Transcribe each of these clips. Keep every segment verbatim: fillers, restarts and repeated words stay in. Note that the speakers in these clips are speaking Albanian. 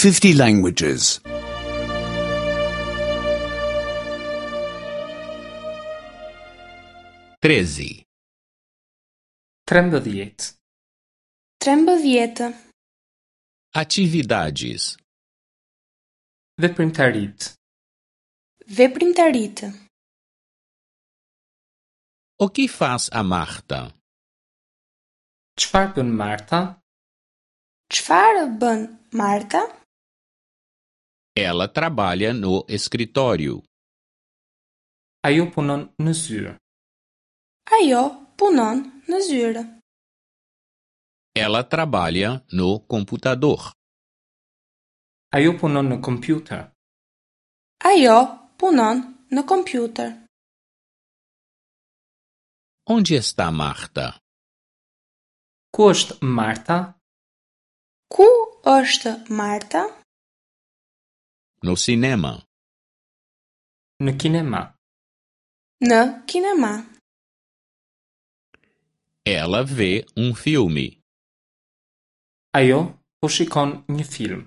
fifty languages. Treze. Trembëdhjetë. Trembëdhjetë. Atividades. Veprimtaritë. Veprimtaritë. O que faz a Marta? Çfarë bën Marta? Çfarë bën Marta? Ela trabalha no escritório. Ajo punon në zyrë. Ajo punon në zyrë. Ela trabalha no computador. Ajo punon në kompjuter. Ajo punon në kompjuter. Onde está Marta? Ku është Marta? Ku është Marta? No cinema. Në kinema. Në kinema. Ela vê um filme. Ajo po shikon një film.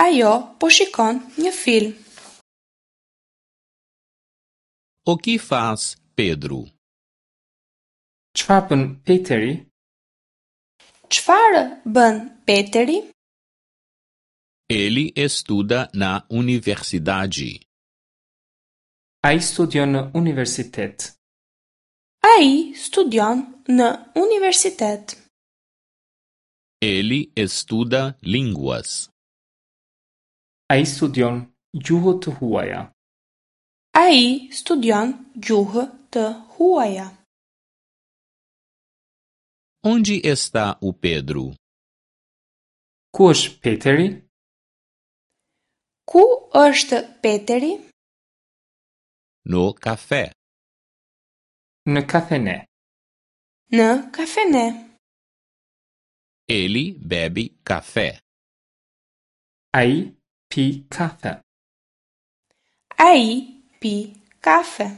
Ajo po shikon një film. O que faz Pedro? Çfarë bën Peteri? Çfarë bën Peteri? Ele estuda na universidade. Ai studion në universitet. Ai studion në universitet. Ele estuda línguas. Ai studion gjuhë të huaja. Ai studion gjuhë të huaja. Onde está o Pedro? Ku është Peteri? Ku është Peteri? No café. Në kafene. Në kafene. Ele bebe café. Ai pi kafe. Ai pi kafe.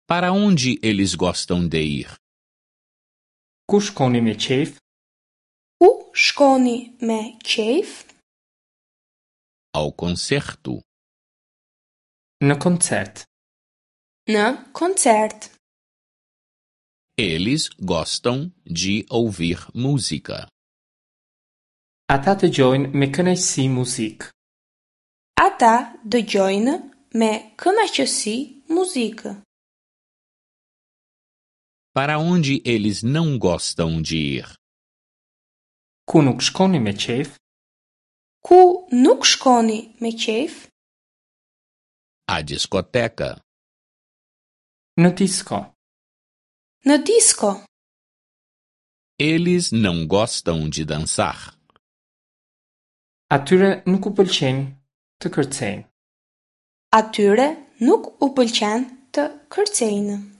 Para onde eles gostam de ir? Ku shkoni me qejf? Ku shkoni me qejf? Ao concerto. Në koncert. Në koncert. Eles gostam de ouvir música. Ata dëgjojnë me kënaqësi muzikë. Ata dëgjojnë me kënaqësi muzikë. Para onde eles não gostam de ir? Ku nuk shkoni me qejf? Ku nuk shkoni me qejf? À discoteca. Në disko. Në disko. Eles não gostam de dançar. Atyre nuk u pëlqen të kërcejnë. Atyre nuk u pëlqen të kërcejnë.